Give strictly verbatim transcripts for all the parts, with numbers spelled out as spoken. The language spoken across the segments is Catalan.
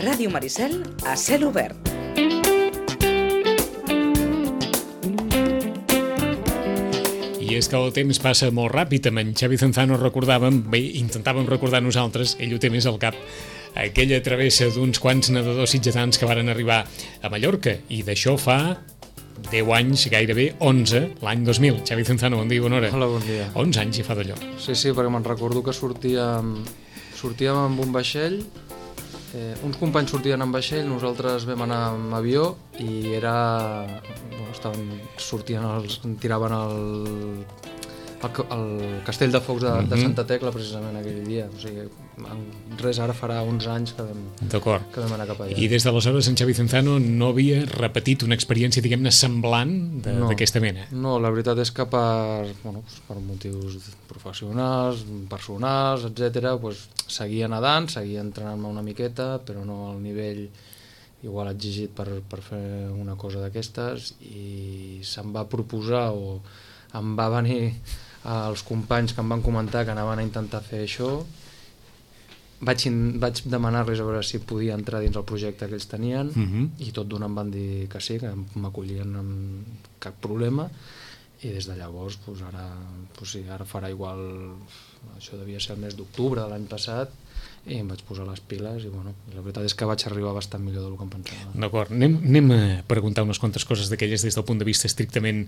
Ràdio Maricel a cel obert. I és que el temps passa molt ràpid. Amb en Xavi Zanzano recordàvem, bé, intentàvem recordar nosaltres, ell ho té més al cap, aquella travessa d'uns quants nedadors sitgetans que varen arribar a Mallorca, i d'això fa deu anys, gairebé onze, l'any dos mil. Xavi Zanzano, bon dia, bona hora. Hola, bon dia. onze anys hi fa d'allò. Sí, sí, perquè me'n recordo que sortíem, sortíem amb un vaixell, eh, uns companys sortien amb vaixell, nosaltres vam anar amb avió i era... Bueno, estaven, sortien, els, tiraven el, el, el castell de focs de, mm-hmm. de Santa Tecla precisament aquell dia. O sigui, res, ara farà onze anys que vam, que vam anar cap allà. I des d'aleshores en Xavi Zanzano no havia repetit una experiència, diguem-ne, semblant d'aquesta no, mena? No, la veritat és que per, bueno, per motius professionals, personals, etcètera, pues, seguia nedant, seguia entrenant-me una miqueta, però no al nivell igual exigit per, per fer una cosa d'aquestes, i se'm va proposar o em va venir els companys que em van comentar que anaven a intentar fer això. Vaig, vaig demanar-los a veure si podia entrar dins el projecte que ells tenien, uh-huh. i tot d'una em van dir que sí, que m'acollien amb cap problema, i des de llavors pues, ara, pues, sí, ara farà igual, això devia ser el mes d'octubre de l'any passat, i em vaig posar les piles i bueno, la veritat és que vaig arribar bastant millor del que em pensava. D'acord, anem, anem a preguntar unes quantes coses d'aquelles des del punt de vista estrictament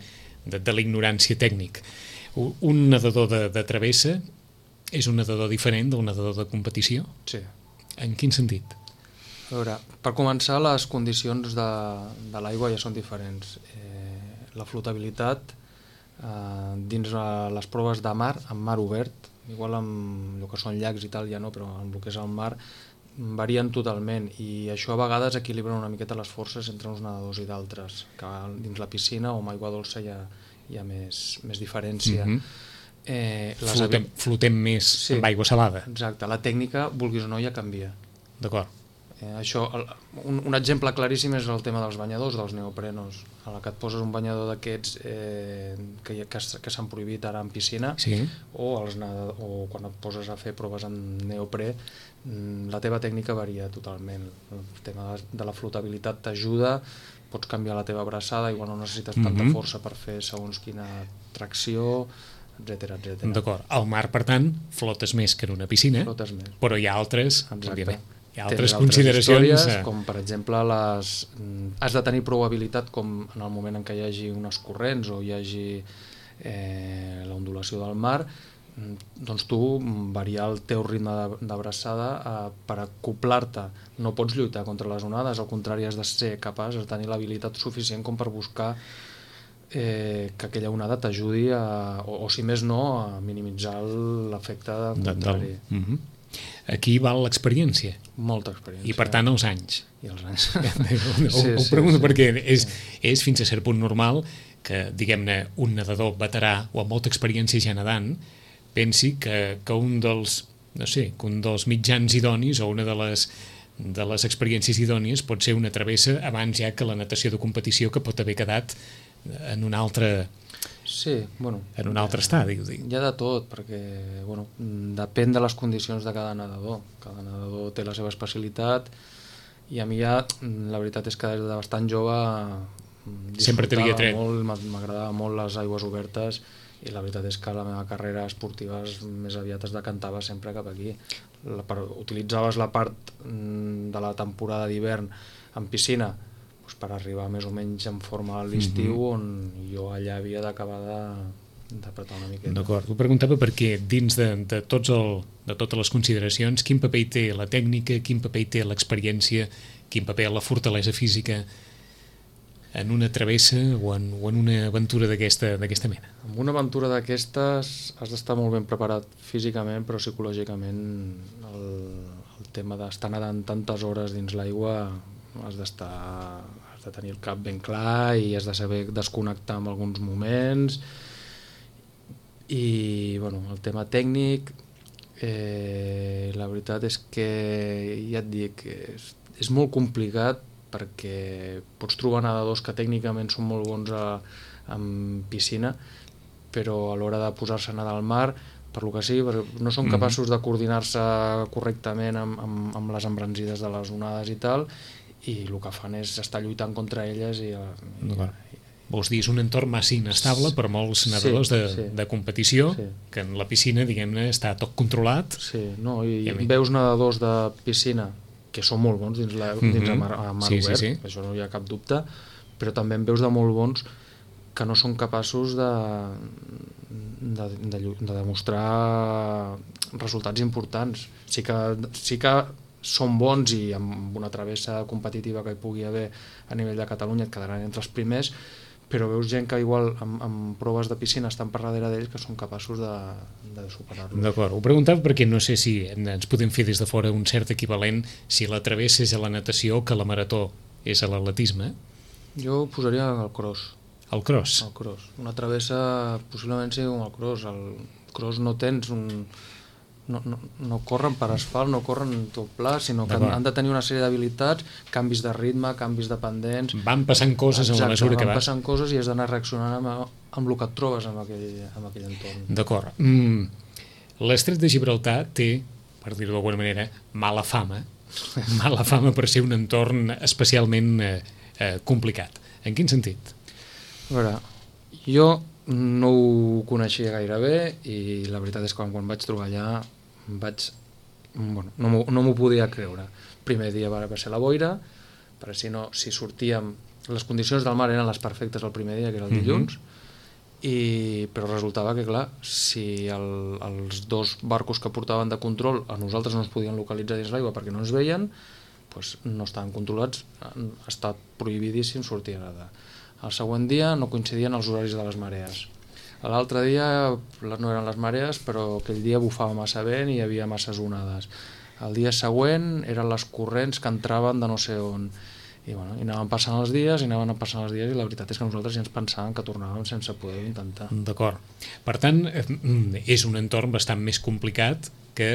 de, de la ignorància tècnic. Un nedador de, de travessa és un nedador diferent d'un nedador de competició? Sí. En quin sentit? A veure, per començar, les condicions de, de l'aigua ja són diferents. Eh, la flotabilitat eh, dins les proves de mar, en mar obert, igual amb el que són llacs i tal ja no, però amb el que és el mar varien totalment, i això a vegades equilibra una miqueta les forces entre uns nedadors i d'altres, que dins la piscina o amb aigua dolça hi ha, hi ha més, més diferència. Mm-hmm. eh, flotem, avi... flotem més sí, amb aigua salada. Exacte, la tècnica, vulguis o no, ja canvia. D'acord. Eh, això, un, un exemple claríssim és el tema dels banyadors, dels neoprenos. A la que et poses un banyador d'aquests eh, que, que, que s'han prohibit ara en piscina, sí. o, els, o quan et poses a fer proves en neoprè, la teva tècnica varia totalment. El tema de la flotabilitat t'ajuda, pots canviar la teva abraçada, igual no necessites tanta mm-hmm. força per fer segons quina tracció, etcètera, etcètera. D'acord. Al mar, per tant, flotes més que en una piscina, flotes més. Però hi ha altres... Exacte. Hi ha altres consideracions... Històries, com per exemple, les... has de tenir prou habilitat com en el moment en què hi hagi unes corrents o hi hagi eh, l'ondulació del mar, doncs tu variar el teu ritme d'abraçada eh, per acoplar-te. No pots lluitar contra les onades, al contrari, has de ser capaç de tenir l'habilitat suficient com per buscar eh, que aquella onada t'ajudi a, o, o si més no, a minimitzar l'efecte contrari. De, uh-huh. Aquí val l'experiència. Molta experiència. I per tant els anys. I els anys. ho, sí, ho sí, pregunto sí, perquè sí. és, és fins a cert punt normal que, diguem-ne, un nedador veterà o amb molta experiència ja nedant pensi que, que un dels, no sé, que un dels mitjans idonis o una de les, de les experiències idònies pot ser una travessa abans ja que la natació de competició, que pot haver quedat en un altre... Sí, bueno, en un altre estadi, ho dic. Hi ha de tot, perquè bueno, depèn de les condicions de cada nedador. Cada nedador té la seva especialitat, i a mi ja, la veritat és que des de bastant jove sempre t'havia tret. M'agradava molt les aigües obertes, i la veritat és que la meva carrera esportiva més aviat es decantava sempre cap aquí. La, per, utilitzaves la part de la temporada d'hivern en piscina per arribar més o menys en forma a l'estiu, mm-hmm. on jo allà havia d'acabar d'apretar una miqueta. D'acord, ho preguntava perquè dins de, de, tots el, de totes les consideracions, quin paper hi té la tècnica, quin paper hi té l'experiència, quin paper la fortalesa física en una travessa o en, o en una aventura d'aquesta d'aquesta mena? En una aventura d'aquestes has d'estar molt ben preparat físicament, però psicològicament el, el tema d'estar nedant tantes hores dins l'aigua has d'estar, has de tenir el cap ben clar i has de saber desconnectar en alguns moments. I bueno, el tema tècnic, eh, la veritat és que ja et dic, és, és molt complicat, perquè pots trobar nedadors que tècnicament són molt bons a, en piscina, però a l'hora de posar-se a nedar al mar per lo que sí, perquè no són capaços de coordinar-se correctament amb, amb, amb les embranzides de les onades i tal, i el que fan és estar lluitant contra elles i... D'acord. Vols dir, és un entorn massa inestable per molts nedadors de, sí. de competició, Sí. que en la piscina, diguem-ne, està tot controlat. Sí, no, i, I a mi- veus nedadors de piscina que són molt bons dins, la, dins Mhm. a mar, a mar Sí, sí, obert, sí. això no hi ha cap dubte, però també en veus de molt bons que no són capaços de, de, de, llu- de demostrar resultats importants. Sí que, sí que són bons i amb una travessa competitiva que hi pugui haver a nivell de Catalunya et quedaran entre els primers, però veus gent que igual amb, amb proves de piscina estan per darrere d'ells que són capaços de, de superar-los. D'acord, ho preguntava perquè no sé si ens podem fer des de fora un cert equivalent si la travessa és a la natació que la marató és a l'atletisme. Jo ho posaria al cross. El cross. El cross. Una travessa possiblement sigui com el cross. El cross no tens un... No, no, no corren per asfalt, no corren tot pla, sinó que han, han de tenir una sèrie d'habilitats, canvis de ritme, canvis de pendents... Van passant coses en la mesura que van vas. passant coses i has d'anar reaccionant amb, amb el que et trobes en aquell, en aquell entorn. D'acord. Mm. L'Estret de Gibraltar té, per dir-ho d'alguna manera, mala fama. Mala fama per ser un entorn especialment eh, eh, complicat. En quin sentit? A veure, jo no ho coneixia gaire bé i la veritat és que quan, quan vaig trobar allà vaig... Bueno, no m'ho no m'ho podia creure. Primer dia va, va ser la boira, perquè si no, si sortíem... Les condicions del mar eren les perfectes el primer dia, que era el dilluns, mm-hmm. i, però resultava que, clar, si el, els dos barcos que portaven de control a nosaltres no ens podien localitzar dins l'aigua perquè no ens veien, doncs no estaven controlats, ha estat prohibidíssim sortir a nedar. El següent dia no coincidien els horaris de les marees. L'altre dia no eren les marees, però aquell dia bufava massa vent i hi havia masses onades. El dia següent eren les corrents que entraven de no sé on. I, bueno, i anaven passant els dies, i anaven passant els dies, i la veritat és que nosaltres ja ens pensàvem que tornàvem sense poder intentar. D'acord. Per tant, és un entorn bastant més complicat que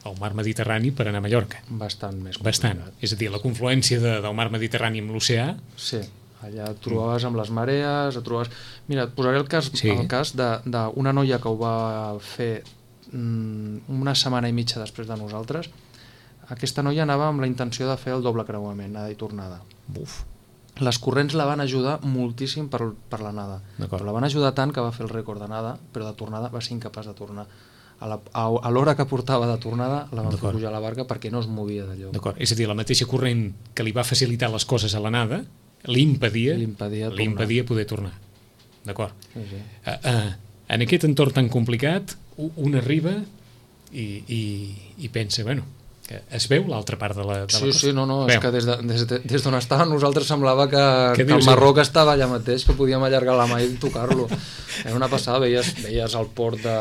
el mar Mediterrani per anar a Mallorca. Bastant més complicat. Bastant. És a dir, la confluència de, del mar Mediterrani amb l'oceà... Sí, allà et trobaves amb les marees, et trobaves... Mira, et posaré el cas, sí. el cas d'una noia que ho va fer mm, una setmana i mitja després de nosaltres. Aquesta noia anava amb la intenció de fer el doble creuament, anada i tornada. Buf. Les corrents la van ajudar moltíssim per, per l'anada. Però la van ajudar tant que va fer el rècord d'anada, però de tornada va ser incapaç de tornar. A la- a a l'hora que portava de tornada la van fer D'acord. pujar a la barca perquè no es movia d'allò. D'acord. És a dir, la mateixa corrent que li va facilitar les coses a l'anada li impedia, Li impedia li impedia poder tornar. D'acord. Sí, sí. Uh, uh, en aquest entorn tan complicat, u- un arriba i, i, i pensa, bueno, que es veu l'altra part de la, de Sí, la costa. sí, no, no, Veu. és que des de- des de- des d'on estàvem nosaltres semblava que, Què que el dius? Marroc estava allà mateix, que podíem allargar la mà i tocar-lo. Era una passada, veies, veies el port de...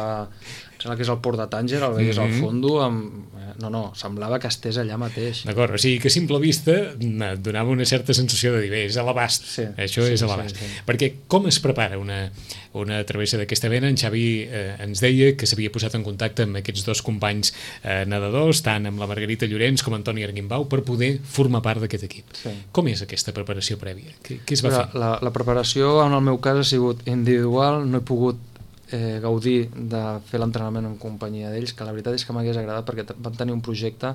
em sembla que és el port de Tànger, el veies Mhm. al fondo, amb... eh, no, no, semblava que estés allà mateix. D'acord, o sigui que a simple vista na, donava una certa sensació de dir, bé, és a l'abast, Sí, això sí, és a sí, l'abast. sí. Perquè com es prepara una, una travessa d'aquesta mena? En Xavi eh, ens deia que s'havia posat en contacte amb aquests dos companys eh, nedadors, tant amb la Margarita Llorenç com Antoni Arguimbau, per poder formar part d'aquest equip. Sí. Com és aquesta preparació prèvia? Què, què es va Però fer? la, la preparació, en el meu cas, ha sigut individual, no he pogut eh, gaudir de fer l'entrenament en companyia d'ells, que la veritat és que m'hagués agradat perquè t- van tenir un projecte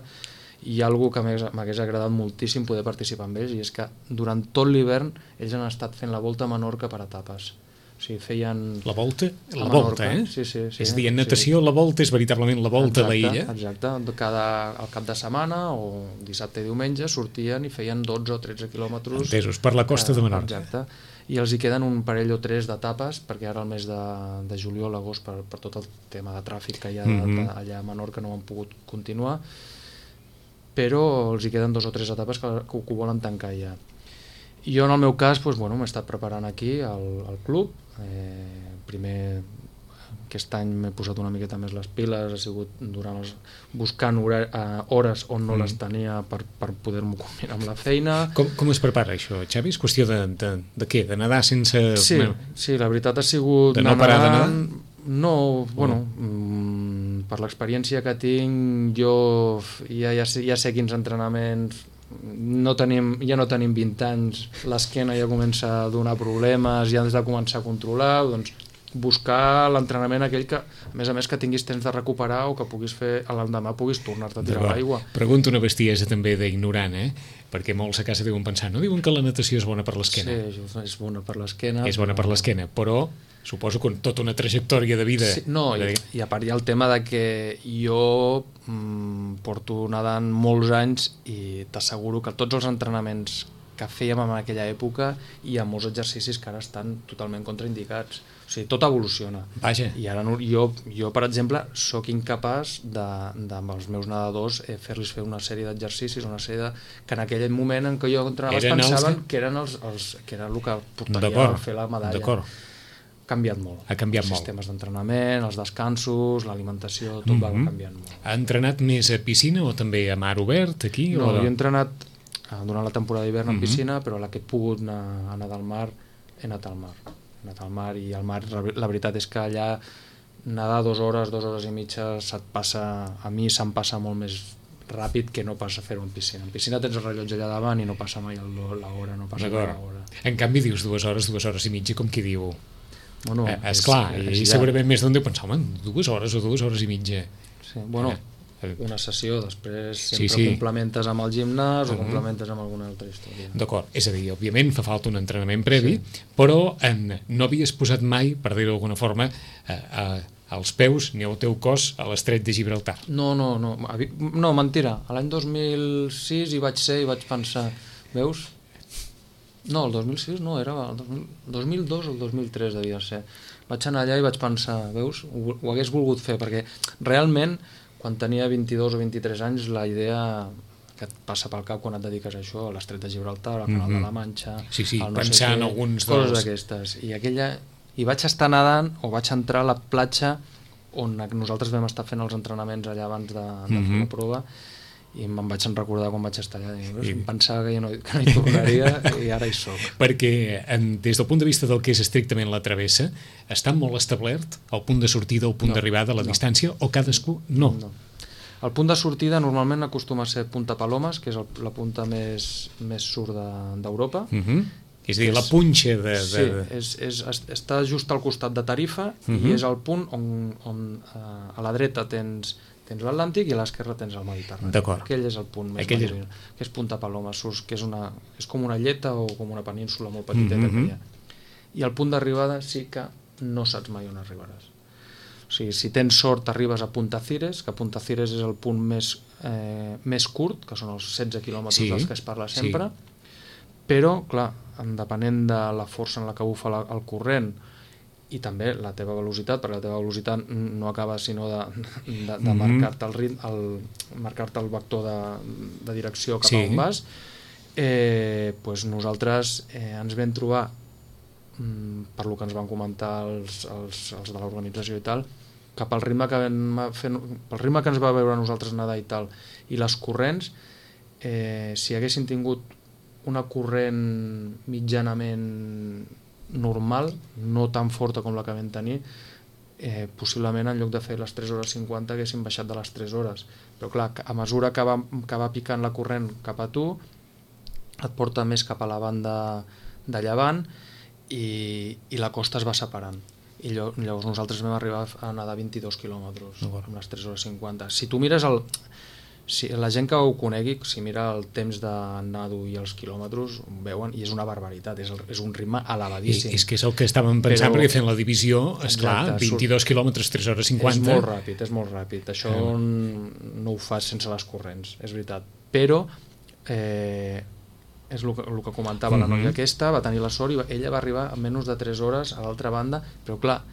i algo que m'hagués m'hagués agradat moltíssim poder participar amb ells, i és que durant tot l'hivern ells han estat fent la volta a Menorca per etapes. O sigui, feien... La volta? La a volta, Menorca, eh? sí, sí, sí. És a dir, en Sí. natació la volta és veritablement la volta a la illa? Exacte, cada, al cap de setmana o dissabte i diumenge sortien i feien dotze o tretze quilòmetres. Entesos, per la costa de Menorca. Exacte, i els hi queden un parell o tres d'etapes, perquè ara el mes de, de juliol, agost, per, per tot el tema de tràfic que hi ha Mhm. de, allà a Menorca no han pogut continuar, però els hi queden dos o tres etapes que, que ho volen tancar ja. I jo en el meu cas doncs, bueno, m'he estat preparant aquí al, al club, eh, primer aquest any m'he posat una miqueta més les piles, ha sigut durant els, buscant hora, eh, hores on no Mm. les tenia per, per poder-m'ho combinar amb la feina. Com, com es prepara això, Xavi? És qüestió de, de, de què? De nedar sense... Sí, sí, la veritat ha sigut... De no anar parar de nedant. No, bueno, mm, per l'experiència que tinc, jo ja, ja, sé, ja sé quins entrenaments... No tenim, ja no tenim vint anys, l'esquena ja comença a donar problemes, ja has de començar a controlar, doncs buscar l'entrenament aquell que, a més a més, que tinguis temps de recuperar o que puguis fer, a l'endemà puguis tornar-te a tirar a l'aigua. Pregunto una bestiesa també d'ignorant, eh? Perquè molts a casa diuen pensar, no diuen que la natació és bona per l'esquena? Sí, és bona per l'esquena. És bona per l'esquena, però suposo que tota una trajectòria de vida... Sí, no, i, i a part hi ha el tema de que jo mm, porto nedant molts anys i t'asseguro que tots els entrenaments que fèiem en aquella època hi ha molts exercicis que ara estan totalment contraindicats. O sigui, tot evoluciona. Vaja. I ara no, jo, jo, per exemple, sóc incapaç de, de amb els meus nedadors eh, fer-los fer una sèrie d'exercicis, una sèrie de, que en aquell moment en què jo entrenava pensaven que... que eren els, els, que era el que portaria a fer la medalla. D'acord. Ha canviat molt. Ha canviat els molt. Sistemes d'entrenament, els descansos, l'alimentació, tot mm -hmm. va canviant molt. Ha entrenat més a piscina o també a mar obert aquí? No, o... jo he entrenat durant la temporada d'hivern en mm -hmm. piscina, però la que he pogut anar a nedar al mar, he anat al mar. He anat al mar i al mar la veritat és que allà nedar dues hores, dues hores i mitja se't passa, a mi se'm passa molt més ràpid que no passa fer-ho en piscina. En piscina tens el rellotge allà davant i no passa mai l'hora, no passa mai l'hora. En canvi dius dues hores, dues hores i mitja, com qui diu... Bueno, eh, esclar, és, és, i segurament més d'un deu pensar, home, dues hores o dues hores i mitja. Sí, bueno... Eh. Una sessió, després sempre sí, sí. complementes amb el gimnàs o uh -huh. complementes amb alguna altra història. D'acord, és a dir, òbviament fa falta un entrenament previ, sí. però en, no havies posat mai, per dir-ho d'alguna forma, a, a, als peus ni al teu cos a l'estret de Gibraltar. No, no, no, no, mentira. L'any dos mil sis hi vaig ser i vaig pensar, veus? No, el dos mil sis no, era el dos mil dos o el dos mil tres devia ser. Vaig anar allà i vaig pensar, veus? Ho, ho hagués volgut fer, perquè realment quan tenia vint-i-dos o vint-i-tres anys la idea que et passa pel cap quan et dediques a això, a l'estret de Gibraltar, al canal mm -hmm. de la Manxa, sí, sí, no pensar sé en què, alguns coses dels... d'aquestes. I aquella, i vaig estar nedant o vaig entrar a la platja on nosaltres vam estar fent els entrenaments allà abans de, de mm -hmm. fer la prova i me'n vaig recordar quan vaig estar allà i, I... em pensava que jo no, que no hi tornaria i ara hi soc. Perquè en, des del punt de vista del que és estrictament la travessa, està molt establert el punt de sortida o el punt no, d'arribada, la no. distància, o cadascú no? No. El punt de sortida normalment acostuma a ser Punta Palomas, que és el, la punta més, més sud d'Europa. De, uh -huh. És a dir, és, la punxa de... de... Sí, és, és, està just al costat de Tarifa uh -huh. i és el punt on, on a, a la dreta tens... tens l'Atlàntic i a l'esquerra tens el Mediterrani. D'acord. Aquell és el punt més Aquell... marítim, que és Punta Paloma, que és, una, és com una lleta o com una península molt petiteta mm -hmm. que hi ha. I el punt d'arribada sí que no saps mai on arribaràs. O sigui, si tens sort arribes a Punta Cires, que Punta Cires és el punt més, eh, més curt, que són els setze quilòmetres sí. dels que es parla sempre, sí. però, clar, depenent de la força en la que bufa la, el corrent i també la teva velocitat, perquè la teva velocitat no acaba sinó de, de, de mm-hmm. marcar-te el, rit, el, marcar-te el vector de, de direcció cap sí. a on vas, eh, pues nosaltres eh, ens vam trobar, mm, per lo que ens van comentar els, els, els de l'organització i tal, que pel ritme que, vam fer, pel ritme que ens va veure nosaltres nedar i tal, i les corrents, eh, si haguessin tingut una corrent mitjanament normal, no tan forta com la que vam tenir, eh, possiblement en lloc de fer les tres hores cinquanta haguessin baixat de les tres hores. Però clar, a mesura que va, que va picant la corrent cap a tu, et porta més cap a la banda de llevant i, i la costa es va separant. I llavors nosaltres vam arribar a nedar vint-i-dos quilòmetres amb les tres hores cinquanta. Si tu mires el... Si la gent que ho conegui, si mira el temps de nado i els quilòmetres, ho veuen, i és una barbaritat, és, el, és un ritme elevadíssim. I, és que és el que estàvem pensant, però, perquè fent la divisió, esclar, vint-i-dos quilòmetres, tres hores cinquanta... És molt ràpid, és molt ràpid. Això eh. no ho fas sense les corrents, és veritat. Però, eh, és el que, el que comentava mm-hmm. la noia aquesta, va tenir la sort i ella va arribar en menys de tres hores a l'altra banda, però clar,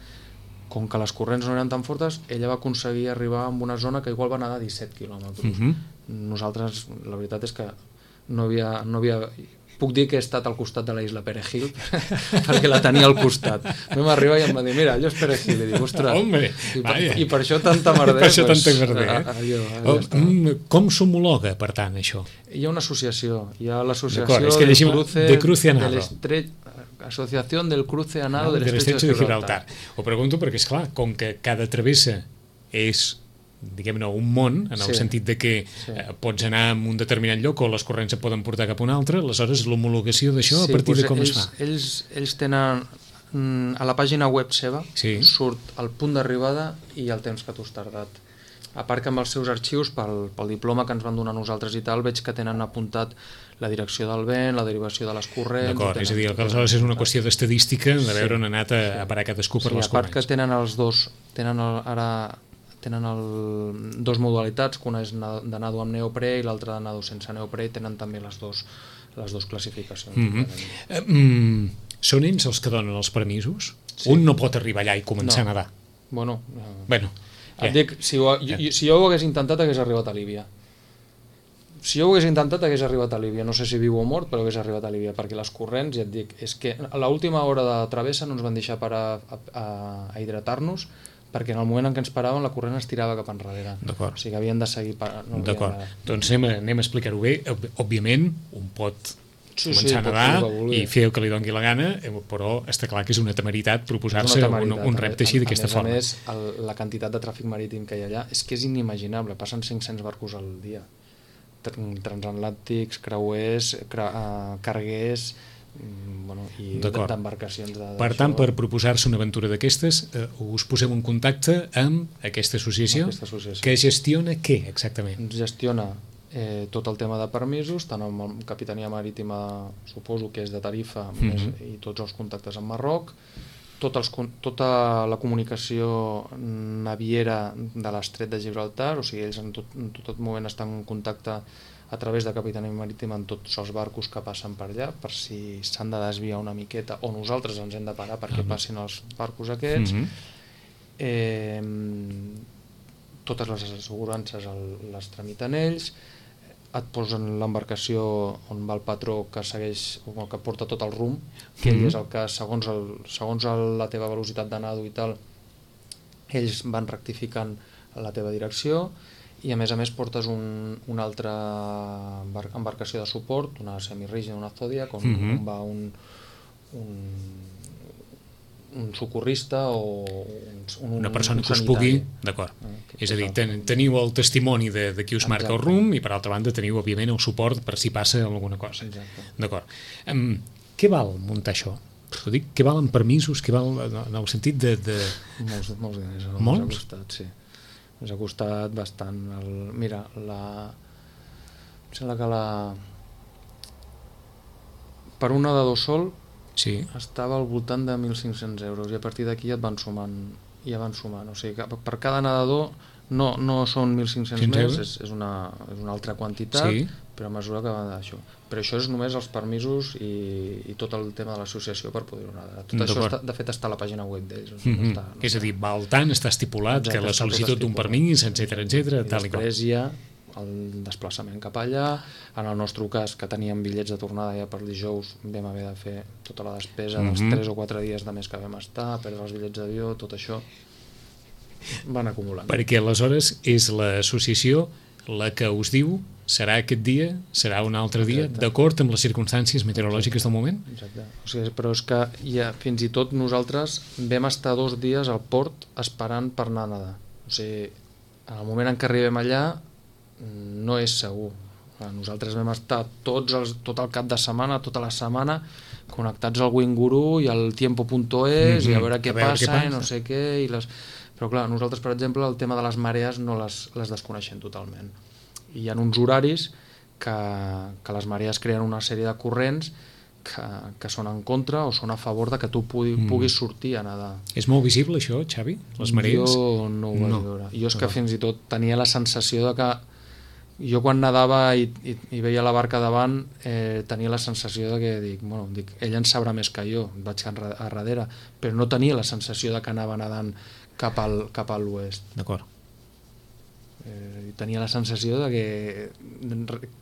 com que les corrents no eren tan fortes, ella va aconseguir arribar a una zona que igual va nedar disset quilòmetres. Uh-huh. Nosaltres, la veritat és que no havia, no havia... Puc dir que he estat al costat de la isla Perejil, perquè la tenia al costat. Vam arribar i em va dir, mira, allò és Perejil. I dic, ostres, Hombre, i, per, i per això tanta merder. Per això pues, tanta merder, eh? Allò, allò oh, com s'homologa, per tant, això? Hi ha una associació. Hi ha l'associació és que del cruce, de Cruce Anado. De l'estret... Associació del Cruce Anado no, de l'Estretx de, de Gibraltar. Ho pregunto perquè, esclar, com que cada travessa és, diguem-ne, un món, en el sí, sentit de que sí. eh, pots anar a un determinat lloc o les corrents et poden portar cap a un altre, aleshores l'homologació d'això, sí, a partir doncs de com ells, es fa? Ells, ells tenen, a la pàgina web seva sí. surt el punt d'arribada i el temps que tu has tardat. A part que amb els seus arxius, pel, pel diploma que ens van donar nosaltres i tal, veig que tenen apuntat la direcció del vent, la derivació de les corrents... D'acord, és a dir, que aleshores és una qüestió d'estadística de veure on ha anat a, a parar cadascú per sí, les corrents. A part corrents. que tenen els dos, tenen el, ara tenen el, dos modalitats, que una és de nado amb neoprè i l'altra de nado sense neoprè, i tenen també les dos, les dos classificacions. Mm-hmm. eh, mm, són ells els que donen els permisos? Sí. Un no pot arribar allà i començar no. a nedar? Bueno, eh, bueno et dic, si, ho, jo, si jo ho hagués intentat hagués arribat a Líbia. Si jo ho hagués intentat hagués arribat a Líbia, no sé si viu o mort, però hagués arribat a Líbia, perquè les corrents, ja et dic, és que a l'última hora de travessa no ens van deixar parar a, a, a hidratar-nos, perquè en el moment en què ens paràvem la corrent es tirava cap enrere. D'acord. O sigui que havien de seguir... No D'acord, de... doncs anem a, anem a explicar-ho bé. Òbviament, un pot sí, començar sí, a nedar i fer el que li doni la gana, però està clar que és una temeritat proposar-se un, un repte així d'aquesta forma. A més, a més el, la quantitat de tràfic marítim que hi ha allà és que és inimaginable, passen cinc-cents barcos al dia, transatlàntics, creuers, cra, uh, carguers, bueno, i d'embarcacions de, per tant, per proposar-se una aventura d'aquestes, eh, us poseu en contacte amb aquesta associació, aquesta associació que gestiona què exactament? Ens gestiona eh, tot el tema de permisos, tant amb la Capitania Marítima, suposo que és de Tarifa, mm-hmm. més, i tots els contactes amb Marroc, tot els, tota la comunicació naviera de l'estret de Gibraltar, o sigui, ells en tot, en tot moment estan en contacte a través de Capitania Marítima amb tots els barcos que passen per allà, per si s'han de desviar una miqueta o nosaltres ens hem de parar perquè uh-huh. passin els barcos aquests. Uh-huh. eh, totes les assegurances el, les tramiten ells, et posen l'embarcació on va el patró que segueix, o que porta tot el rumb, que ell uh-huh. és el que, segons, el, segons el, la teva velocitat de nado i tal, ells van rectificant la teva direcció, i a més a més portes un, una altra embarcació de suport, una semirígida, una Zodiac, on, mm-hmm. on va un, un, un socorrista o un, un, una persona un que us pugui... D'acord. Eh, és a dir, ten, teniu el testimoni de, de qui us marca el rumb i per altra banda teniu, òbviament, el suport per si passa alguna cosa. D'acord. Um, què val muntar això? Ho dic, què valen permisos? Què val en el sentit de... de... Molts, molts diners. Molts? Costat, sí. Ens ha costat bastant. El, mira, la... em sembla que la... per un nedador sol sí. estava al voltant de mil cinc-cents euros i a partir d'aquí et van sumant, ja van sumant. O sigui que per cada nedador no, no són mil cinc-cents més, és, és, una, és una altra quantitat, sí. però a mesura que va d'això. Però això és només els permisos i, i tot el tema de l'associació per poder-ho nedar. Tot això, està, de fet, està a la pàgina web d'ells. Mm-hmm. No està, no és a dir, val tant, està estipulat, exacte, que la sol·licitud d'un permís, etcètera, etcètera, tal i qual. Després hi ha el desplaçament cap allà. En el nostre cas, que teníem bitllets de tornada ja per dijous, vam haver de fer tota la despesa dels mm-hmm. tres o quatre dies de més que vam estar, perdre els bitllets d'avió, tot això van acumulant. Perquè aleshores és l'associació la que us diu serà aquest dia, serà un altre dia, d'acord amb les circumstàncies meteorològiques del moment? Exacte. O sigui, però és que ja, fins i tot nosaltres vam estar dos dies al port esperant per anar a nedar. O sigui, en el moment en què arribem allà no és segur. Nosaltres vam estar tots els, tot el cap de setmana, tota la setmana, connectats al Winguru i al tiempo punto es mm-hmm. i a veure què a veure passa, què passa i no sé què. I les... Però clar, nosaltres, per exemple, el tema de les marees no les, les desconeixem totalment. I hi ha uns horaris que, que les marees creen una sèrie de corrents que, que són en contra o són a favor de que tu pugui, mm. puguis sortir a nedar. És molt visible això, Xavi? Les marees? Jo no ho vaig no. veure. Jo és que fins i tot tenia la sensació de que jo quan nedava i, i, i veia la barca davant eh, tenia la sensació de que dic, bueno, dic, ell en sabrà més que jo, vaig a darrere, però no tenia la sensació de que anava nedant cap al, cap a l'oest. D'acord. Eh, tenia la sensació de que,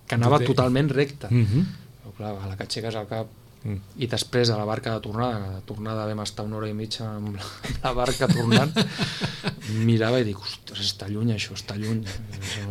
que anava totalment recte. Mm-hmm. Però clar, a la que aixeques el cap mm. i després a la barca de tornada, a la tornada vam estar una hora i mitja amb la, la barca tornant, mirava i dic, ostres, està lluny això, està lluny.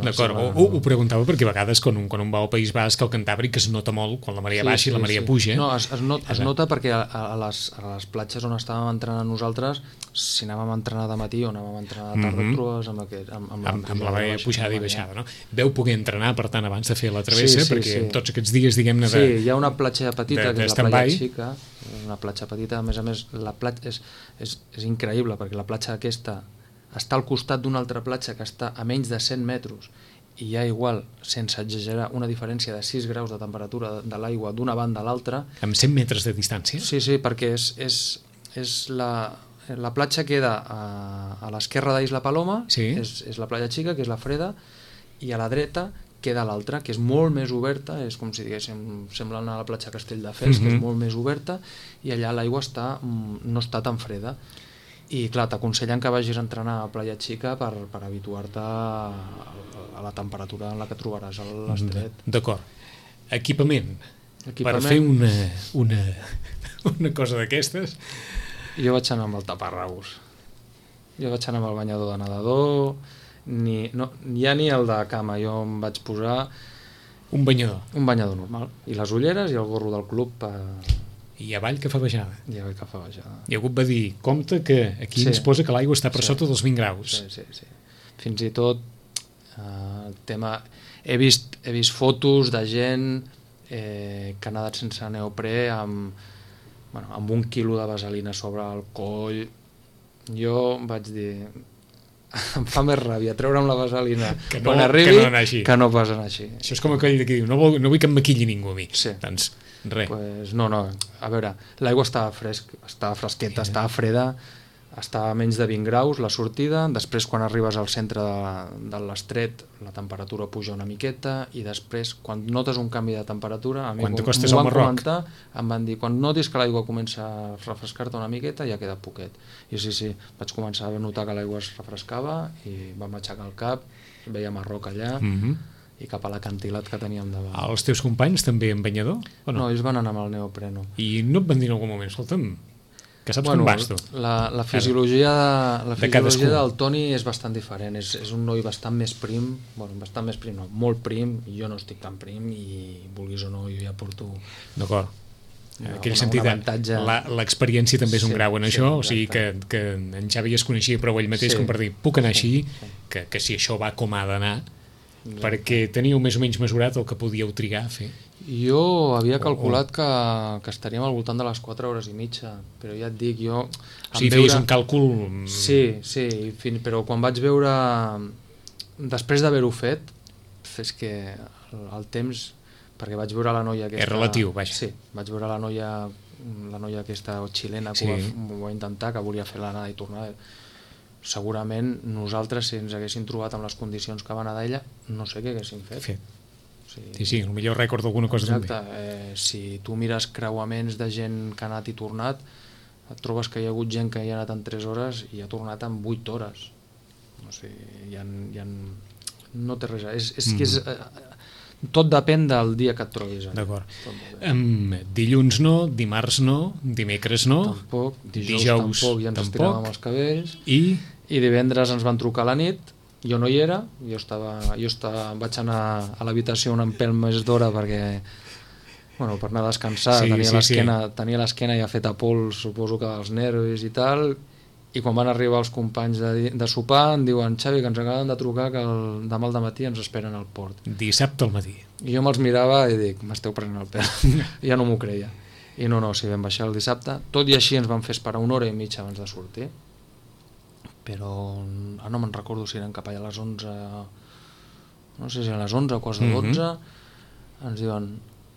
D'acord, ho, ho preguntava perquè a vegades quan un, quan un va al País Basc, al Cantàbric es nota molt quan la marea sí, baixa sí, i la marea sí. puja. No, es, es, not, es nota perquè a, a, les, a les platges on estàvem entrenant nosaltres, si anàvem a entrenar de matí o anàvem a entrenar de tarda, mm-hmm. trobes amb, aquest, amb, amb, amb, amb la marea pujada i baixada, no? Veu poder entrenar, per tant, abans de fer la travessa, sí, sí, perquè sí. tots aquests dies, diguem-ne, de... Sí, hi ha una platja petita, de, que és la platja xica, una platja petita, a més a més la platja és, és, és increïble perquè la platja aquesta està al costat d'una altra platja que està a menys de cent metres i hi ha igual, sense exagerar, una diferència de sis graus de temperatura de l'aigua d'una banda a l'altra. Amb cent metres de distància? Sí, sí, perquè és, és, és la, la platja queda a, a l'esquerra d'Isla Paloma, sí. és, és la platja xica, que és la freda, i a la dreta queda l'altra, que és molt més oberta, és com si diguéssim, semblant a la platja Castelldefels, mm-hmm. que és molt més oberta, i allà l'aigua està, no està tan freda. I clar, t'aconsellen que vagis a entrenar a Playa Xica per, per habituar-te a, a la temperatura en la que trobaràs a l'estret. D'acord. Equipament. Equipament. Per fer una, una, una cosa d'aquestes. Jo vaig anar amb el taparrabos. Jo vaig anar amb el banyador de nedador, ni, no, ja ni el de cama, jo em vaig posar... Un banyador. Un banyador normal. I les ulleres i el gorro del club per... I avall que fa baixada. I avall que fa baixada. I algú va dir, compte que aquí sí. ens posa que l'aigua està per sí. sota dels vint graus. Sí, sí, sí. Fins i tot eh, el tema... He vist, he vist fotos de gent eh, que ha nedat sense neoprè amb, bueno, amb un quilo de vaselina sobre el coll. Jo vaig dir... em fa més ràbia treure'm la vaselina que no, quan arribi que no, que no pas anar així. Això és com aquell que diu, no, vol, no vull que em maquilli ningú a mi. Sí. Doncs res. Pues no, no, a veure, l'aigua estava fresc, estava fresqueta, yeah. estava freda, estava a menys de vint graus la sortida, després quan arribes al centre de, de l'estret la temperatura puja una miqueta i després quan notes un canvi de temperatura, a mi quan m'ho van comentar, em van dir, quan notis que l'aigua comença a refrescar-te una miqueta ja queda poquet. I sí, sí, vaig començar a notar que l'aigua es refrescava i vam aixecar el cap, veiem a roca allà, mm-hmm. i cap a l'acantilat que teníem davant. Els teus companys també en banyador? O no? No, ells van anar amb el neopreno. I no et van dir en algun moment, escolta'm, que saps bueno, com vas tu? La, la fisiologia, de, la de fisiologia del Toni és bastant diferent, és, és un noi bastant més prim, bueno, bastant més prim no, molt prim, i jo no estic tan prim i vulguis o no, jo ja porto... D'acord. En aquell una, sentit, una avantatge... l'experiència també és un sí, grau en sí, això, exacte. o sigui que, que en Xavi es coneixia prou ell mateix sí, com per dir, puc anar sí, així, sí. Que, que si això va com ha d'anar, perquè teníeu més o menys mesurat el que podíeu trigar a fer. Jo havia calculat que, que estaríem al voltant de les quatre hores i mitja, però ja et dic, jo... O sigui, feies veure... un càlcul... Sí, sí, fin... però quan vaig veure... Després d'haver-ho fet, és que el, el temps... Perquè vaig veure la noia aquesta... És relatiu, vaja. Sí, vaig veure la noia, la noia aquesta xilena que sí. ho, va, ho va intentar, que volia fer l'anada i tornada. Segurament nosaltres, si ens haguéssim trobat amb les condicions que va nedar ella, no sé què haguéssim fet. fet. Sí, sí, sí, potser recordo alguna cosa exacte, també. Eh, si tu mires creuaments de gent que ha anat i tornat, et trobes que hi ha hagut gent que hi ha anat en tres hores i ha tornat en vuit hores. O sigui, hi ha, hi ha... no té res. És, és mm. que és... Eh, tot depèn del dia que et trobis. D'acord. Um, dilluns no, dimarts no, dimecres no, tampoc, dijous, dijous tampoc, ja ens tampoc. estiràvem els cabells. I... I divendres ens van trucar a la nit, jo no hi era, jo, estava, jo estava, vaig anar a l'habitació un pèl més d'hora perquè, bueno, per anar a descansar, sí, tenia sí, l'esquena sí. tenia l'esquena ja feta pols, suposo que dels nervis i tal, i quan van arribar els companys de, de sopar em diuen, Xavi, que ens acaben de trucar que el, demà al dematí ens esperen al port. Dissabte al matí. I jo me'ls mirava i dic, m'esteu prenent el pèl. Ja no m'ho creia. I no, no, si vam baixar el dissabte, tot i així ens van fer esperar una hora i mitja abans de sortir, però ah, no me'n recordo si eren cap allà a les onze, no sé si eren les onze o quarts de dotze, mm-hmm. ens diuen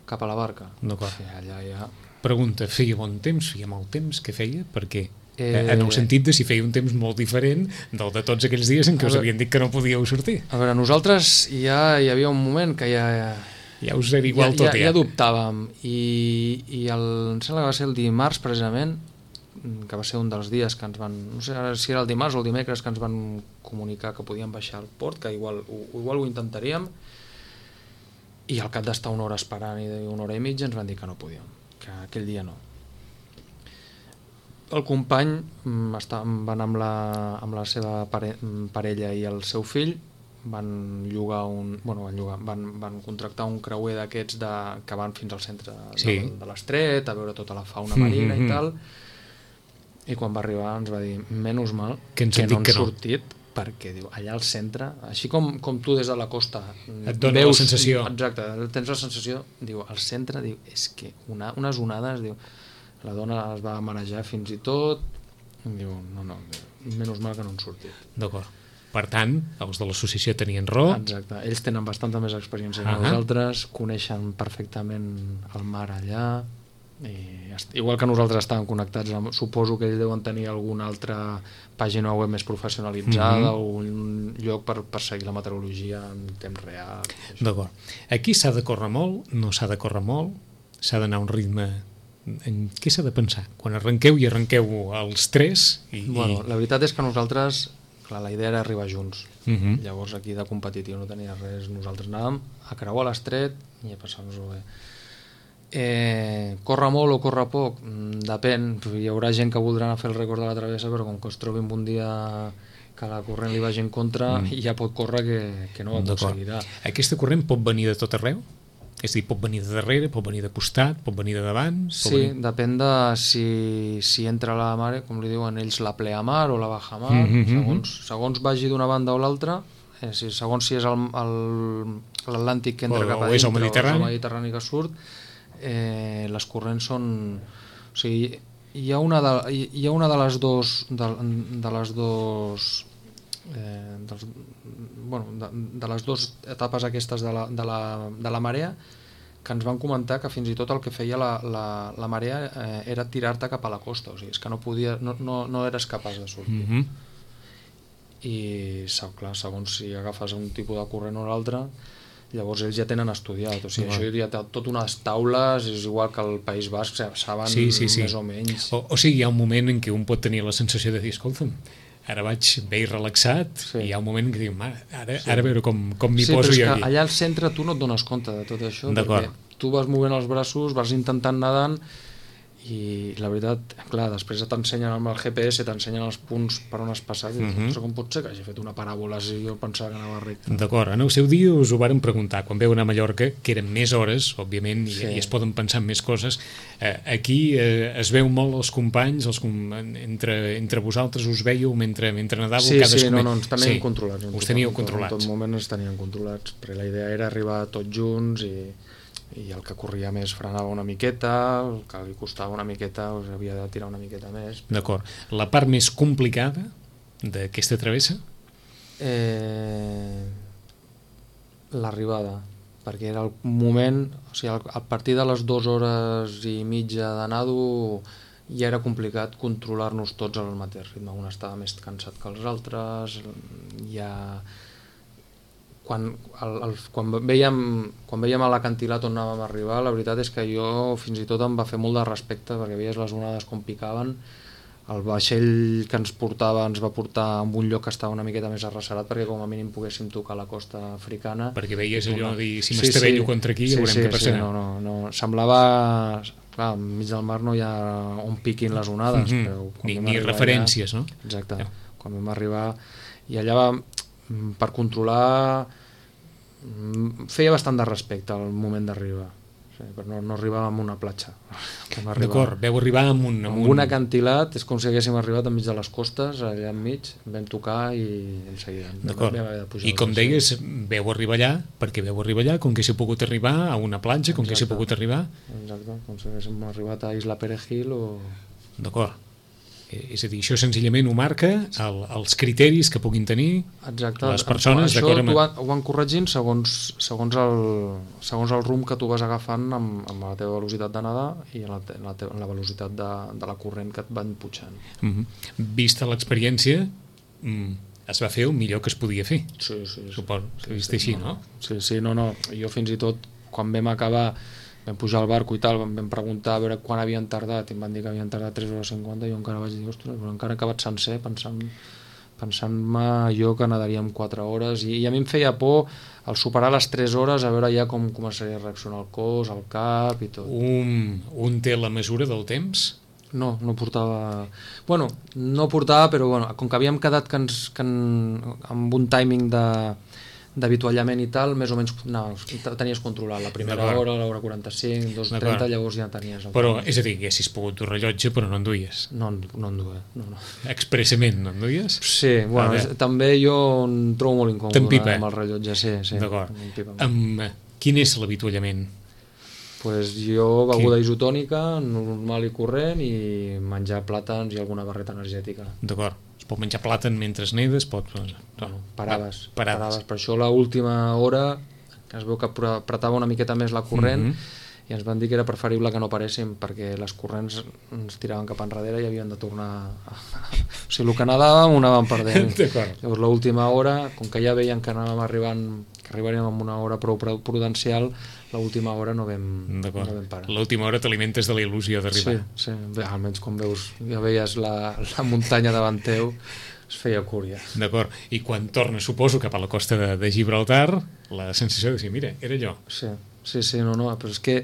cap a la barca. D'acord. Allà ja... Pregunta, feia bon temps, feia mal temps, què feia? Per què? Eh... En el sentit de si feia un temps molt diferent del de tots aquells dies en què us havien dit que no podíeu sortir. A veure, nosaltres ja hi havia un moment que ja... Ja us era igual ja, tot, ja. Ja, ja dubtàvem, i, i el, em sembla que va ser el dimarts precisament, que va ser un dels dies que ens van, no sé si era el dimarts o el dimecres, que ens van comunicar que podíem baixar al port, que igual, igual ho intentaríem, i al cap d'estar una hora esperant i una hora i mitja ens van dir que no podíem, que aquell dia no. El company està, van amb la, amb la seva pare, parella i el seu fill, van llogar un, bueno, van, llogar, van, van contractar un creuer d'aquests de, que van fins al centre sí. de, de l'estret, a veure tota la fauna marina mm-hmm. i tal, i quan va arribar ens va dir, menys mal que, que no han que no. sortit, perquè diu, allà al centre, així com, com tu des de la costa et dona veus, la sensació. Exacte, tens la sensació, diu, al centre, diu, és que una, unes onades, diu, La dona es va marejar fins i tot, i em diu, no, no, menys mal que no han sortit. D'acord. Per tant, els de l'associació tenien raó. Exacte, ells tenen bastanta més experiència que uh -huh. nosaltres, coneixen perfectament el mar allà, i igual que nosaltres estàvem connectats amb, suposo que ells deuen tenir alguna altra pàgina web més professionalitzada, uh -huh. o un lloc per, per seguir la meteorologia en temps real. D'acord. Aquí s'ha de córrer molt, no s'ha de córrer molt, s'ha d'anar a un ritme. En què s'ha de pensar? Quan arrenqueu i arrenqueu els tres i, bueno, i... la veritat és que nosaltres, clar, la idea era arribar junts. Uh -huh. Llavors aquí de competitiu no tenia res, nosaltres anàvem a creuar l'estret i a passar-nos-ho bé. Eh, corre molt o corre poc? Mm, depèn, hi haurà gent que voldrà anar a fer el rècord de la travessa, però com que es trobi un dia que la corrent li vagi en contra, mm. ja pot córrer que, que no ho aconseguirà. Aquesta corrent pot venir de tot arreu? És a dir, pot venir de darrere, pot venir de costat, pot venir de davant? Sí, venir... depèn de si, si entra la mare, com li diuen ells, la pleamar o la bajamar, mm -hmm. segons, segons vagi d'una banda o l'altra, eh, si, segons si és l'Atlàntic que entra o, cap a o és dintre el Mediterrani. o és el Mediterrani que surt, eh, les corrents són... O sigui, hi ha una de, hi ha una de les dos... De, de les dos eh, dels, bueno, de, de les dues etapes aquestes de la, de, la, de la marea, que ens van comentar que fins i tot el que feia la, la, la marea eh, era tirar-te cap a la costa, o sigui, és que no, podia, no, no, no eres capaç de sortir. Mm -hmm. I clar, segons si agafes un tipus de corrent o l'altre, llavors ells ja tenen estudiat, o sigui, no. Això ja té tot unes taules, és igual que el País Basc, saben sí, sí, sí. més o menys. O, o sigui, hi ha un moment en què un pot tenir la sensació de dir, escolta'm, ara vaig bé i relaxat, sí. I hi ha un moment que diu, ara, sí. ara a veure com, com m'hi sí, poso jo aquí. Sí, però és que allà al centre tu no et dones compte de tot això, perquè tu vas movent els braços, vas intentant nedant, i la veritat, clar, després t'ensenyen amb el G P S, t'ensenyen els punts per on has passat, i dius, uh -huh. com pot ser que hagi fet una paràbola si jo pensava que anava recte? D'acord, en el seu dia us ho varen preguntar, quan veu anar a Mallorca, que eren més hores, òbviament, i, sí. i es poden pensar en més coses. Eh, aquí eh, es veu molt els companys, els com... entre, entre vosaltres us veieu mentre, mentre nedàveu? Sí, cadascú... sí, no, no, ens teníem sí. controlats. Us teníeu controlats. En tot moment ens teníem controlats, perquè la idea era arribar tots junts i... i el que corria més frenava una miqueta, el que li costava una miqueta us havia de tirar una miqueta més. D'acord. La part més complicada d'aquesta travessa? Eh, l'arribada, perquè era el moment, o sigui, a partir de les dues hores i mitja de nado ja era complicat controlar-nos tots al mateix ritme, un estava més cansat que els altres, ja... Quan, el, el, quan, veiem, quan veiem a l'acantilat on anàvem a arribar, la veritat és que jo fins i tot em va fer molt de respecte, perquè veies les onades com picaven, el vaixell que ens portava ens va portar a un lloc que estava una miqueta més arrecerat perquè com a mínim poguéssim tocar la costa africana. Perquè veies allò de dir, si m'estavello sí, sí. contra aquí, ja sí, veurem sí, què passarà. Sí, no, no, no. Semblava... Clar, enmig del mar no hi ha on piquin les onades. Mm -hmm. Però ni ni referències, allà, no? Exacte. Ja. Quan vam arribar... I allà va, per controlar... feia bastant de respecte al moment d'arribar, sí, però no, no arribàvem a una platja. D'acord, veu arribar amb un... Amb, amb un acantilat, és com si haguéssim arribat enmig de les costes, allà enmig, vam tocar i en seguida. D'acord, i com deies, veu arribar allà, perquè veu arribar allà, com que s'ha pogut arribar a una platja, com Exacte. que s'ha pogut arribar... Exacte, com si haguéssim arribat a Isla Perejil o... D'acord. És a dir, això senzillament ho marca el, els criteris que puguin tenir Exacte. les persones. Això amb... ho, van, ho van corregint segons, segons, el, segons el rumb que tu vas agafant amb, amb la teva velocitat de nedar i la, la, teva, la velocitat de, de la corrent que et van pujant. Mm -hmm. Vista l'experiència, mm, es va fer el millor que es podia fer. Sí, sí. Suposo sí, que vist sí, així, no, no? Sí, sí, no, no. Jo fins i tot, quan vam acabar... vam pujar al barco i tal, vam, vam preguntar a veure quan havien tardat i em van dir que havien tardat tres hores cinquanta i jo encara vaig dir, ostres, però encara he acabat sencer pensant, pensant-me jo que nadaríem quatre hores i, i a mi em feia por al superar les tres hores a veure ja com començaria a reaccionar el cos, el cap i tot. Un, un té la mesura del temps? No, no portava... Bueno, no portava, però bueno, com que havíem quedat que ens, que en, amb un timing de d'avituallament i tal, més o menys no, tenies controlat la primera hora, l'hora quaranta-cinc, dos trenta, llavors ja tenies... El però, temps. és a dir, haguessis pogut dur rellotge, però no en duies? No, no en duia, no, no. Expressament no en duies? Sí, bueno, és, també jo em trobo molt incòmode amb el rellotge, sí, sí. D'acord. Amb, quin és l'avituallament? pues jo beguda isotònica, normal i corrent, i menjar plàtans i alguna barreta energètica. D'acord. Es pot menjar plàtan mentre nedes, pot... No, bueno, paraves, paraves. paraves. Per això l'última hora es veu que apretava una miqueta més la corrent, mm-hmm. i ens van dir que era preferible que no paréssim perquè les corrents ens tiraven cap enrere i havien de tornar a... o sigui, el que anàvem ho anàvem perdent. Llavors l'última hora, com que ja veien que anàvem arribant, que arribaríem amb una hora prou prudencial, l'última hora no vam, no vam parar. L'última hora t'alimentes de la il·lusió d'arribar. Sí, sí, almenys com veus, ja veies la, la muntanya davant teu, es feia cúria. D'acord, i quan tornes, suposo, cap a la costa de, de Gibraltar, la sensació de dir, mira, era allò. Sí, sí, sí, no, no, però és que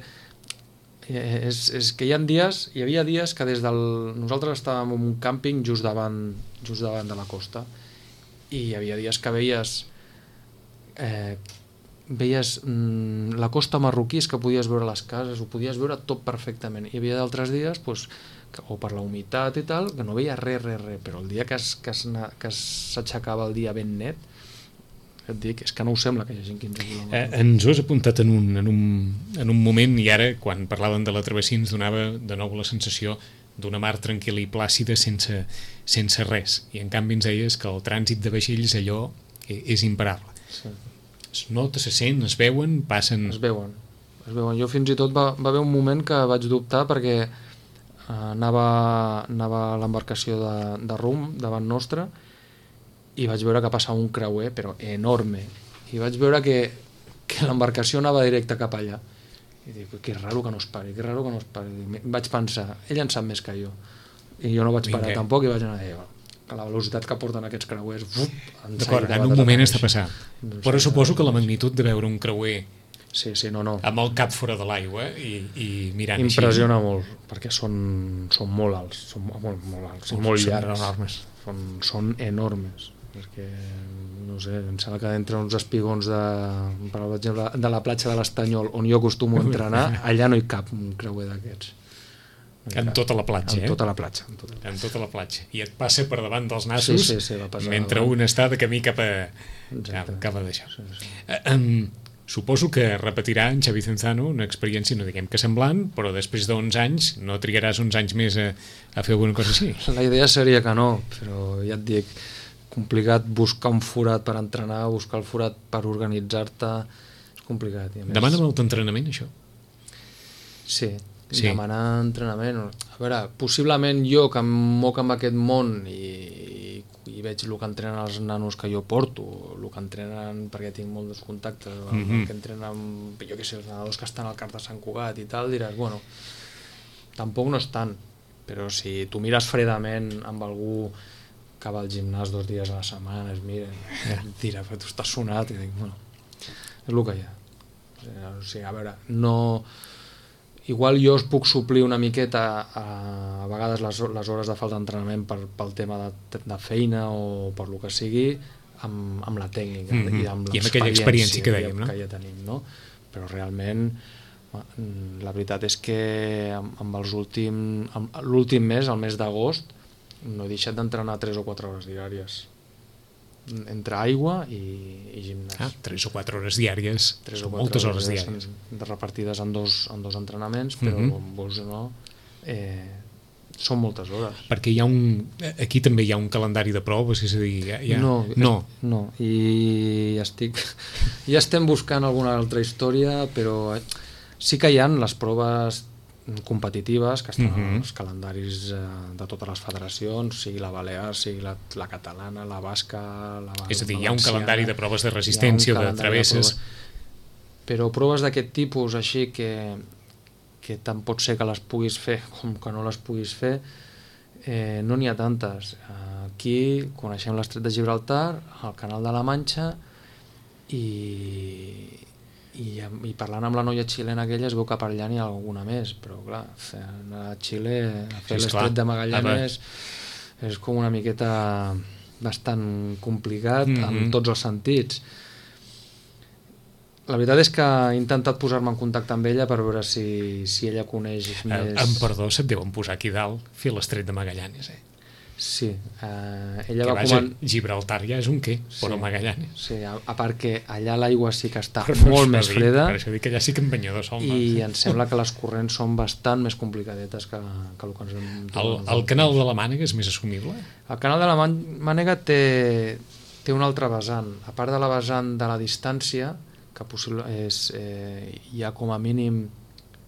és, és que hi ha dies, hi havia dies que des del... Nosaltres estàvem en un càmping just davant, just davant de la costa, i hi havia dies que veies eh, veies mm, la costa marroquí, és que podies veure les cases, ho podies veure tot perfectament. Hi havia d'altres dies, pues, que, o per la humitat i tal, que no veia res, res, res, però el dia que s'aixecava el dia ben net, et dic, és que no ho sembla que hi hagi quinze quilòmetres. Eh, ens ho has apuntat en un, en, un, en un moment, i ara, quan parlaven de la travessia, ens donava de nou la sensació d'una mar tranquil·la i plàcida sense, sense res, i en canvi ens deies que el trànsit de vaixells allò és imparable. Sí. Es nota, se sent, es veuen, passen... Es veuen, es veuen. Jo fins i tot va, va haver un moment que vaig dubtar perquè eh, anava, anava a l'embarcació de, de rum davant nostre i vaig veure que passava un creuer, però enorme, i vaig veure que, que l'embarcació anava directe cap allà. I dic, que raro que no es pari, que raro que no es pari. I vaig pensar, ell en sap més que jo. I jo no vaig parar Vinga. tampoc, i vaig anar a dir, que la velocitat que porten aquests creuers... D'acord, en un moment està passant. Però suposo que la magnitud de veure un creuer sí, sí, no, no. amb el cap fora de l'aigua i, i mirant impressiona així. molt, perquè són, són molt alts, són molt, molt alts, són molt llargs, enormes. Són, són enormes. Perquè, no sé, em sembla que entre uns espigons de, per exemple, de la platja de l'Estanyol, on jo acostumo a entrenar, allà no hi cap un creuer d'aquests. En tota la platja, en eh? tota la platja, en tota la platja. En tota la platja. I et passa per davant dels nassos sí, sí, sí, va passar mentre davant. un està de camí cap a, cap a d'això. Sí, sí. Um, suposo que repetirà en Xavi Cenzano una experiència, no diguem que semblant, però després d'onze anys no trigaràs uns anys més a, a fer alguna cosa així. La idea seria que no, però ja et dic, complicat buscar un forat per entrenar, buscar el forat per organitzar-te, és complicat. I a més... Demana molt entrenament, això? Sí, sí, demanar entrenament. A veure, possiblement jo que em moc amb aquest món i, i veig el que entrenen els nanos que jo porto, el que entrenen, perquè tinc molts contactes, el mm-hmm. que entrenen, jo què sé, els nedadors que estan al Car de Sant Cugat i tal, diràs, bueno, tampoc no és tant, però si tu mires fredament amb algú que va al gimnàs dos dies a la setmana, es mira, et dirà, però tu estàs sonat, i dic, bueno, és el que hi ha. O sigui, a veure, no... Igual jo es puc suplir una miqueta a, a vegades les, les hores de falta d'entrenament per, pel tema de, de feina o per lo que sigui amb, amb la tècnica mm-hmm. i amb, I amb aquella experiència que dèiem, no? Que ja tenim, no? Però realment la veritat és que amb, amb els últims l'últim mes, el mes d'agost, no he deixat d'entrenar tres o quatre hores diàries entre aigua i, i gimnàs. Ah, tres o quatre hores diàries, tres o moltes hores, hores diàries. De repartides en dos, en dos entrenaments, però mm-hmm. vols o no, eh, són moltes hores. Perquè hi ha un... Aquí també hi ha un calendari de proves, és a dir... Hi ha... No, no. no, i estic... ja estem buscant alguna altra història, però sí que hi ha les proves competitives que estan mm-hmm. als calendaris eh, de totes les federacions, sigui la balear, sigui la, la catalana, la basca, la valenciana. És a dir, hi ha un calendari de proves de resistència o de travesses. De però proves d'aquest tipus així que, que tant pot ser que les puguis fer com que no les puguis fer, eh, no n'hi ha tantes. Aquí coneixem l'Estret de Gibraltar, el Canal de la Manxa i I, i parlant amb la noia xilena aquella es veu que per allà n'hi ha alguna més, però clar, anar a Xile a fer sí, l'Estret de Magallanes és com una miqueta bastant complicat mm-hmm. en tots els sentits. La veritat és que he intentat posar-me en contacte amb ella per veure si, si ella coneix més... Em perdó, se't deuen posar aquí dalt fer l'Estret de Magallanes, eh? Sí, eh, ella Que va vaja, coman... Gibraltar ja és un què, però Sí. Magallanes. Sí, a, a part que allà l'aigua sí que està Per molt això més dic, freda Per això dic que allà sí que en banyador sol. i em sembla que les corrents són bastant més complicadetes que, que el que ens hem El, trobat. el canal de la Mànega és més assumible? El canal de la Mànega té, té un altre vessant. A part de la vessant de la distància, que possible és, eh, hi ha com a mínim,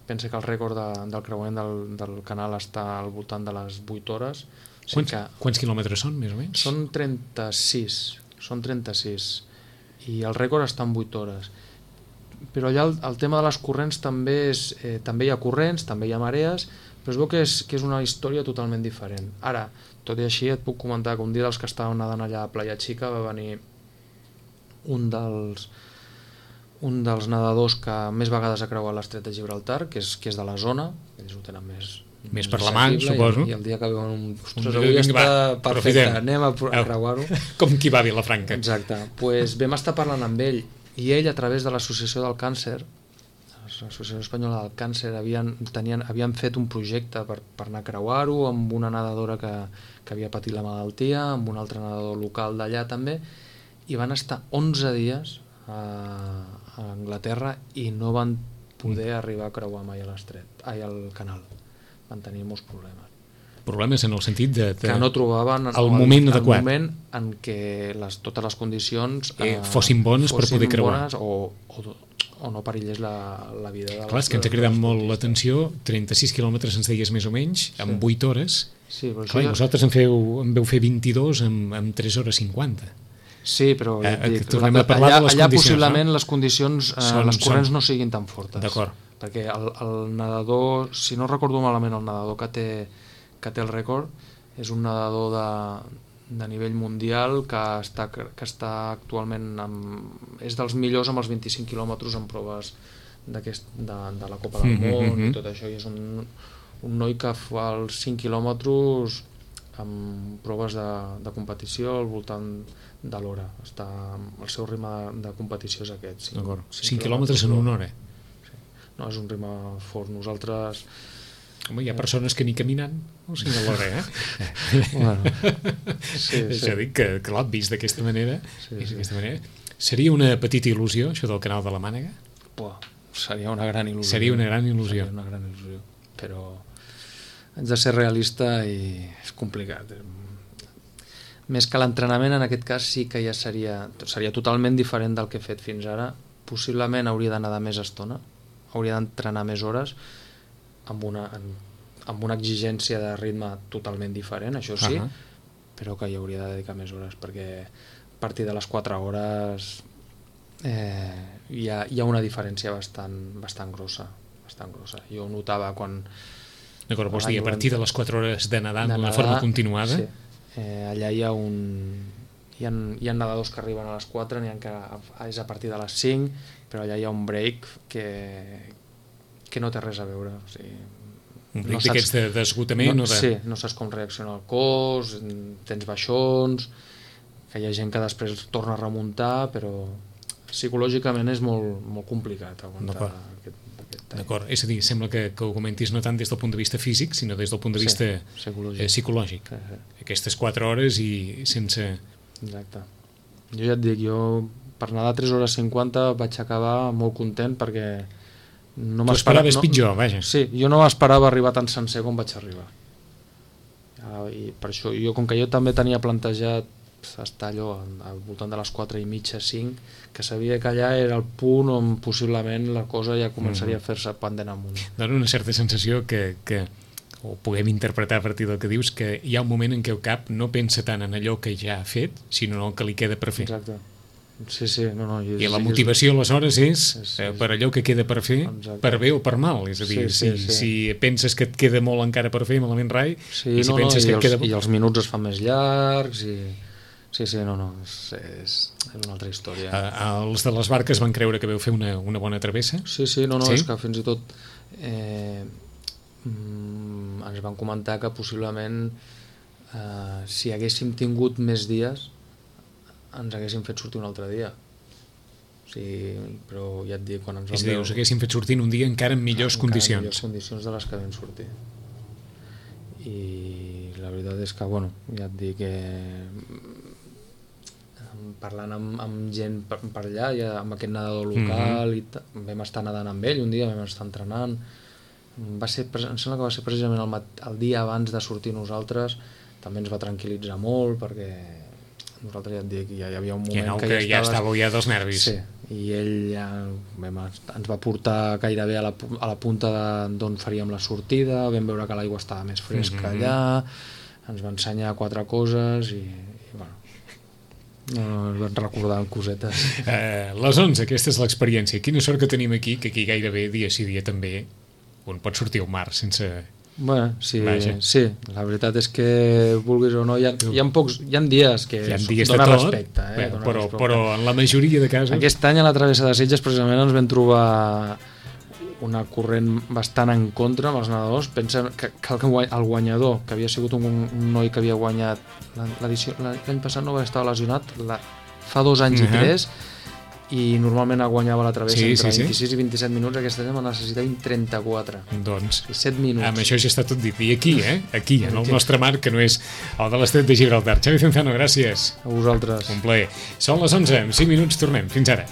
pensa que el rècord de, del creuament del, del canal està al voltant de les vuit hores. O sigui Quants, que quants quilòmetres són, més o menys? són trenta-sis, són trenta-sis, i el rècord està en vuit hores. Però allà el, el tema de les corrents també és, eh, també hi ha corrents, també hi ha marees, però es veu que és, que és una història totalment diferent. Ara, tot i així et puc comentar que un dia dels que estàvem nedant allà a Playa Chica va venir un dels un dels nedadors que més vegades ha creuat l'estret de Gibraltar, que és, que és de la zona, ells ho tenen més Més per la mà, accessible, suposo. i, i el dia que veuen un... Ostres, Un- avui vinga, està va, perfecte, aprofitem. anem a, pro- a Au. creuar-ho. Com qui va a Vilafranca. Exacte, pues vam estar parlant amb ell i ell a través de l'Associació del Càncer, l'Associació Espanyola del Càncer, havien, tenien, havien fet un projecte per, per anar a creuar-ho amb una nedadora que, que havia patit la malaltia, amb un altre nedador local d'allà també, i van estar onze dies a, a Anglaterra i no van poder arribar a creuar mai a l'estret, ai, al canal. Van tenir molts problemes. Problemes en el sentit de... de Que no trobaven el moment adequat. el moment en què les, totes les condicions Eh, fossin bones per poder creuar. bones o, o, o no perillés la, la vida de les, Clar, és que ens ha cridat molt l'atenció, trenta-sis quilòmetres ens deies més o menys, en vuit hores. Sí, però Clar, i això ja... vosaltres en, feu, en veu fer vint-i-dos en, en tres hores cinquanta. Sí, però ja Eh, et dic, tornem la, a parlar allà, de les allà condicions, possiblement no? les condicions, eh, Són- les corrents són- no siguin tan fortes. D'acord. Perquè el, el nedador, si no recordo malament, el nedador que té, que té el rècord és un nedador de, de nivell mundial que està, que està actualment amb, és dels millors amb els vint-i-cinc quilòmetres en proves d'aquest, de, de la Copa del Mhm, Món mhm. i tot això, i és un, un noi que fa els cinc quilòmetres amb proves de, de competició al voltant de l'hora. Està, el seu ritme de, de competició és aquest. D'acord. cinc quilòmetres en una hora. No, és un ritme fort. Nosaltres... Home, hi ha persones que ni caminant o sigui, a l'hora, eh? Bueno, sí, Això sí. dic que, clar, vist d'aquesta manera, Sí, vist sí. d'aquesta manera, seria una petita il·lusió, això del canal de la Mànega? Buah, seria una gran il·lusió. Seria una gran il·lusió. Seria una gran il·lusió. Però haig de ser realista i és complicat. Més que l'entrenament, en aquest cas sí que ja seria, seria totalment diferent del que he fet fins ara. Possiblement hauria d'anar de més estona, hauria d'entrenar més hores, amb una, amb una exigència de ritme totalment diferent, això sí, Ahà. però que hi hauria de dedicar més hores, perquè a partir de les quatre hores eh, hi, ha, hi ha una diferència bastant, bastant grossa, bastant grossa. Jo notava quan... D'acord, vols l'any dir, a partir de les quatre hores de nedar de d'una nedar, forma continuada? Sí. Eh, allà hi ha un... Hi ha, hi ha nedadors que arriben a les quatre, n'hi ha que és a partir de les cinc, però allà hi ha un break que, que no té res a veure. O sigui, Un bric no d'aquests saps- de- d'esgotament? no, o de... Sí, no saps com reacciona el cos, tens baixons, que hi ha gent que després torna a remuntar, però psicològicament és molt, molt complicat aguantar D'acord. aquest, aquest time. D'acord, és a dir, sembla que, que ho comentis no tant des del punt de vista físic, sinó des del punt de Sí, vista psicològic. eh, psicològic. Sí, sí. Aquestes quatre hores i sense... Exacte. Jo ja et dic, jo per nedar tres hores cinquanta vaig acabar molt content perquè no Tu m'esperava... esperaves no, pitjor, vaja. Sí, jo no m'esperava arribar tan sencer com vaig arribar. Ah, I per això, jo, com que jo també tenia plantejat estar allò al voltant de les quatre i mitja, cinc, que sabia que allà era el punt on possiblement la cosa ja començaria a fer-se pendent amunt. Dona una certa sensació que, que o puguem interpretar a partir del que dius, que hi ha un moment en què el cap no pensa tant en allò que ja ha fet, sinó en el que li queda per fer. Exacte. Sí, sí, no, no. Jo, I la sí que és- motivació, aleshores, és És- eh, és- per allò que queda per fer, Exacte. per bé o per mal. És a dir, Sí, sí, si, sí. si penses que et queda molt encara per fer, malament rai, Sí, i si no, no, penses i, que et els, queda... i els minuts es fan més llargs i... Sí, sí, no, no, és, és, és una altra història. Eh, els de les barques van creure que veu fer una, una bona travessa? Sí, sí, no, no, Sí? és que fins i tot eh, mm, ens van comentar que possiblement eh, si haguéssim tingut més dies ens haguéssim fet sortir un altre dia. O sigui, però ja et dic, quan ens És vam a dir, us haguessin fet sortir un dia encara en millors encara en condicions. millors condicions de les que vam sortir. I la veritat és que, bueno, ja et dic que parlant amb, amb gent per, per allà, ja, amb aquest nedador local, mm-hmm. i ta, vam estar nedant amb ell un dia, vam estar entrenant, va ser, em sembla que va ser precisament el, mat, el dia abans de sortir nosaltres, també ens va tranquil·litzar molt, perquè nosaltres ja et dic, ja hi havia un moment no, que, que ja, ja estaves... estàveu ja dels nervis. Sí, i ell ja vam, ens va portar gairebé a la, a la punta d'on faríem la sortida, vam veure que l'aigua estava més fresca mm-hmm. allà, ens va ensenyar quatre coses i, i bueno, no, ens van recordar cosetes. Uh, les onze, aquesta és l'experiència. Quina sort que tenim aquí, que aquí gairebé dia sí dia també un pot sortir al mar sense... Bueno, sí, sí, la veritat és que vulguis o no, hi ha, hi ha, pocs, hi ha dies que hi ha dies dona tot, respecte, eh? Bé, dona però, respecte. Però en la majoria de casos... Aquest any a la travessa de Sitges precisament ens vam trobar una corrent bastant en contra amb els nedadors. Pensa que, que el guanyador, que havia sigut un, un noi que havia guanyat l'edició, l'any passat no va estar lesionat, la, fa dos anys uh-huh. i tres, i normalment guanyava la travessa sí, entre sí, vint-i-sis sí. i vint-i-set minuts, aquest any en necessitava trenta-quatre. Doncs, set minuts. Amb això ja està tot dit. I aquí, eh? Aquí, en el aquí. Nostre mar, que no és el de l'Estret de Gibraltar. Xavi Cenzano, gràcies. A vosaltres. Un plaer. Són les onze, en cinc minuts tornem. Fins ara.